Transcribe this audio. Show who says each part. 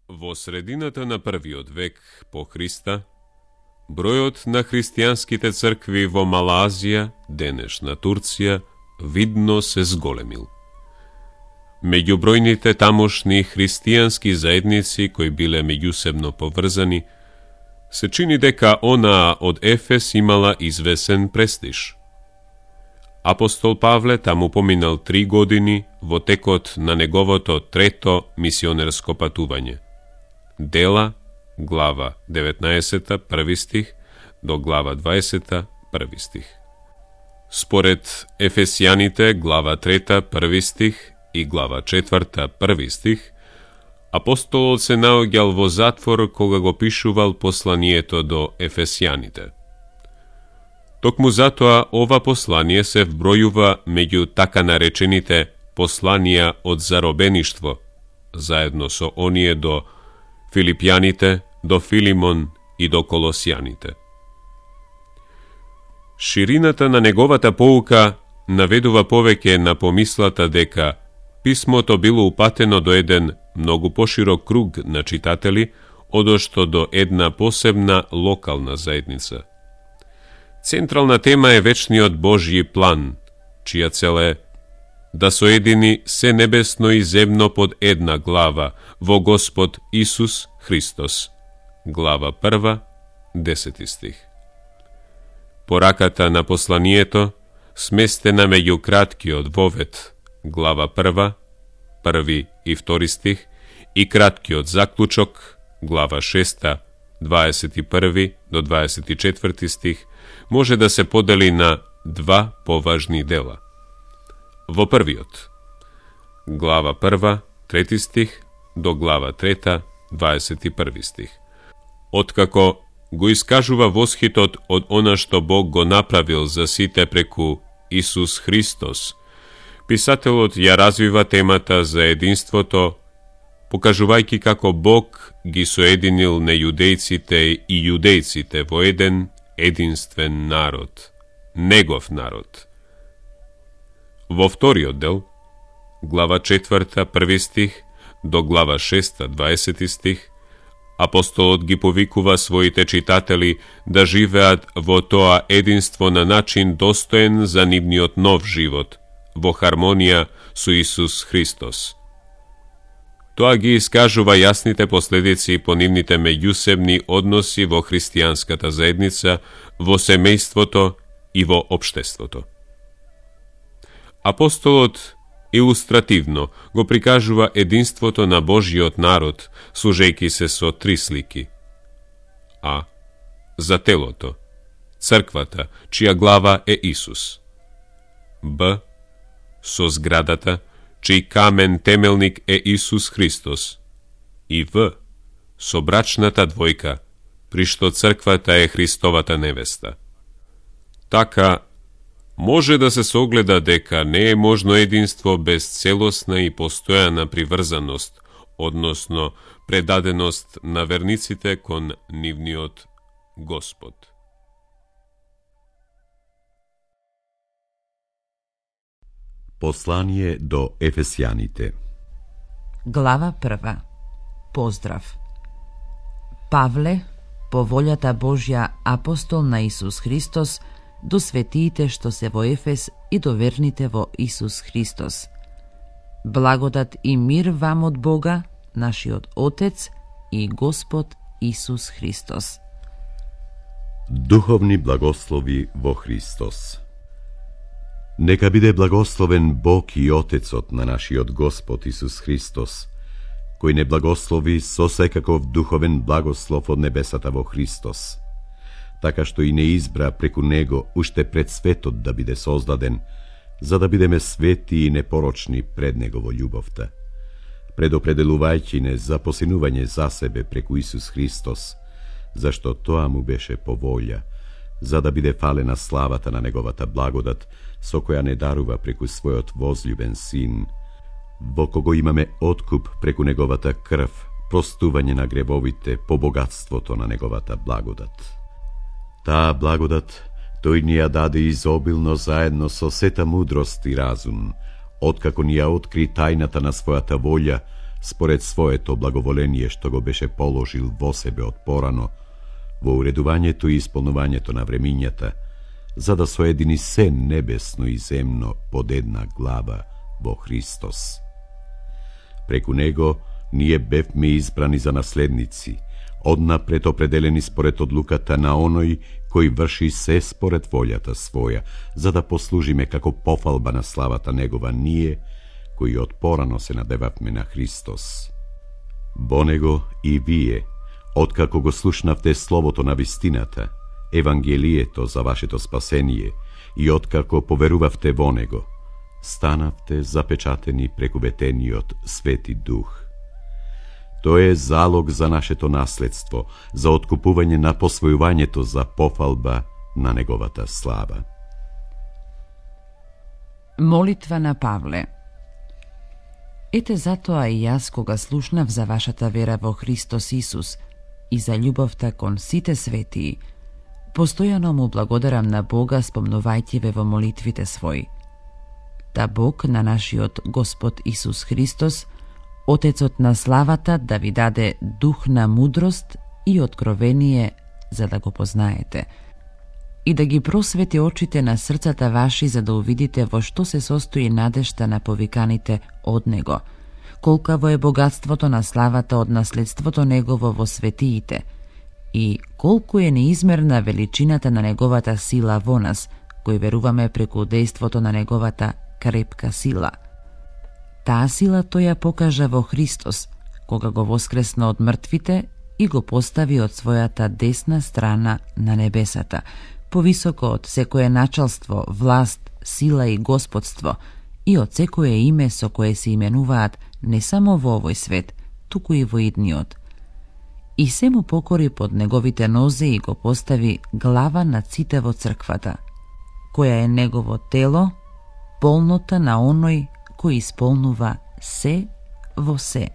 Speaker 1: Во средината на првиот век по Христа, бројот на христијанските цркви во Мала Азија, денешна Турција, видно се зголемил. Меѓу бројните тамошни христијански заедници кои биле меѓусебно поврзани, се чини дека онаа од Ефес имала извесен престиж. Апостол Павле таму поминал 3 години во текот на неговото трето мисионерско патување. Дела, глава 19, први стих, до глава 20, први стих. Според Ефесијаните, глава 3, први стих и глава 4, први стих, апостолот се наоѓал во затвор кога го пишувал посланието до Ефесијаните. Токму затоа ова послание се вбројува меѓу така наречените посланија од заробеништво, заедно со оние до Филипјаните, до Филимон и до Колосијаните. Ширината на неговата поука наведува повеќе на помислата дека писмото било упатено до еден многу поширок круг на читатели, одошто до една посебна локална заедница. Централна тема е вечниот Божји план, чија цел е да соедини се небесно и земно под една глава во Господ Исус Христос. Глава 1, 10 стих. Пораката на посланието, сместена меѓу краткиот вовет, глава 1, 1 и 2 стих, и краткиот заклучок, глава 6, 21 до 24 стих, може да се подели на 2 поважни дела. Во првиот, глава 1, 3 стих, до глава 3, 21 стих. Откако го искажува восхитот од она што Бог го направил за сите преку Исус Христос, писателот ја развива темата за единството, покажувајќи како Бог ги соединил нејудејците и јудејците во еден единствен народ, негов народ. Во вториот дел, глава 4, 1 стих, до глава 6, 20 стих, апостолот ги повикува своите читатели да живеат во тоа единство на начин достоен за нивниот нов живот, во хармонија со Исус Христос. Тоа ги искажува јасните последици по нивните меѓусебни односи во христијанската заедница, во семејството и во општеството. Апостолот илустративно го прикажува единството на Божјиот народ, служејќи се со 3 слики. А. За телото, црквата, чија глава е Исус. Б. Со зградата, чиј камен темелник е Исус Христос. И В. Со брачната двојка, при што црквата е Христовата невеста. Така, може да се согледа дека не е можно единство без целосна и постојана приврзаност, односно предаденост на верниците кон нивниот Господ.
Speaker 2: Послание до Ефесијаните.
Speaker 3: Глава 1. Поздрав. Павле, по волјата Божја, апостол на Исус Христос, до светиите што се во Ефес и до верните во Исус Христос. Благодат и мир вам од Бога, нашиот Отец и Господ Исус Христос.
Speaker 2: Духовни благослови во Христос. Нека биде благословен Бог и Отецот на нашиот Господ Исус Христос, кој не благослови со секаков духовен благослов од небесата во Христос, така што и не избра преку Него уште пред светот да биде создаден, за да бидеме свети и непорочни пред Него во љубовта, предопределувајќи не за посинување за себе преку Исус Христос, зашто тоа му беше по волја, за да биде фалена славата на Неговата благодат, со која не дарува преку својот возљубен Син, во кого имаме откуп преку Неговата крв, простување на гревовите по богатството на Неговата благодат. Таа благодат тој ни ја даде изобилно заедно со сета мудрост и разум, откако ни ја откри тајната на својата волја според своето благоволение што го беше положил во себе од порано, во уредувањето и исполнувањето на времињата, за да соедини се небесно и земно под една глава во Христос. Преку него ние бевме избрани за наследници, однапред определени според одлуката на оној кој врши се според волјата своја, за да послужиме како пофалба на славата негова ние, кои од порано се надевавме на Христос. Во него и вие, откако го слушнавте словото на вистината, Евангелието за вашето спасение, и откако поверувавте во него, станавте запечатени преку ветениот Свети Дух. Тој е залог за нашето наследство, за откупување на посвојувањето за пофалба на неговата слава.
Speaker 3: Молитва на Павле. Ете затоа и јас, кога слушнав за вашата вера во Христос Исус и за љубовта кон сите светии, постојано му благодарам на Бога, спомнувајќи ве во молитвите своји. Да Бог на нашиот Господ Исус Христос, Отецот на славата, да ви даде дух на мудрост и откровение, за да го познаете, и да ги просвети очите на срцата ваши, за да увидите во што се состои надежта на повиканите од Него, колкаво е богатството на славата од наследството Негово во светиите, и колку е неизмерна величината на Неговата сила во нас, кои веруваме преку дејството на Неговата крепка сила. Таа сила тој ја покажа во Христос, кога го воскресна од мртвите и го постави од својата десна страна на небесата, повисоко од секое началство, власт, сила и господство, и од секое име со кое се именуваат не само во овој свет, туку и во идниот. И се му покори под неговите нозе и го постави глава над сите во црквата, која е негово тело, полнота на оној кој исполнува се во се.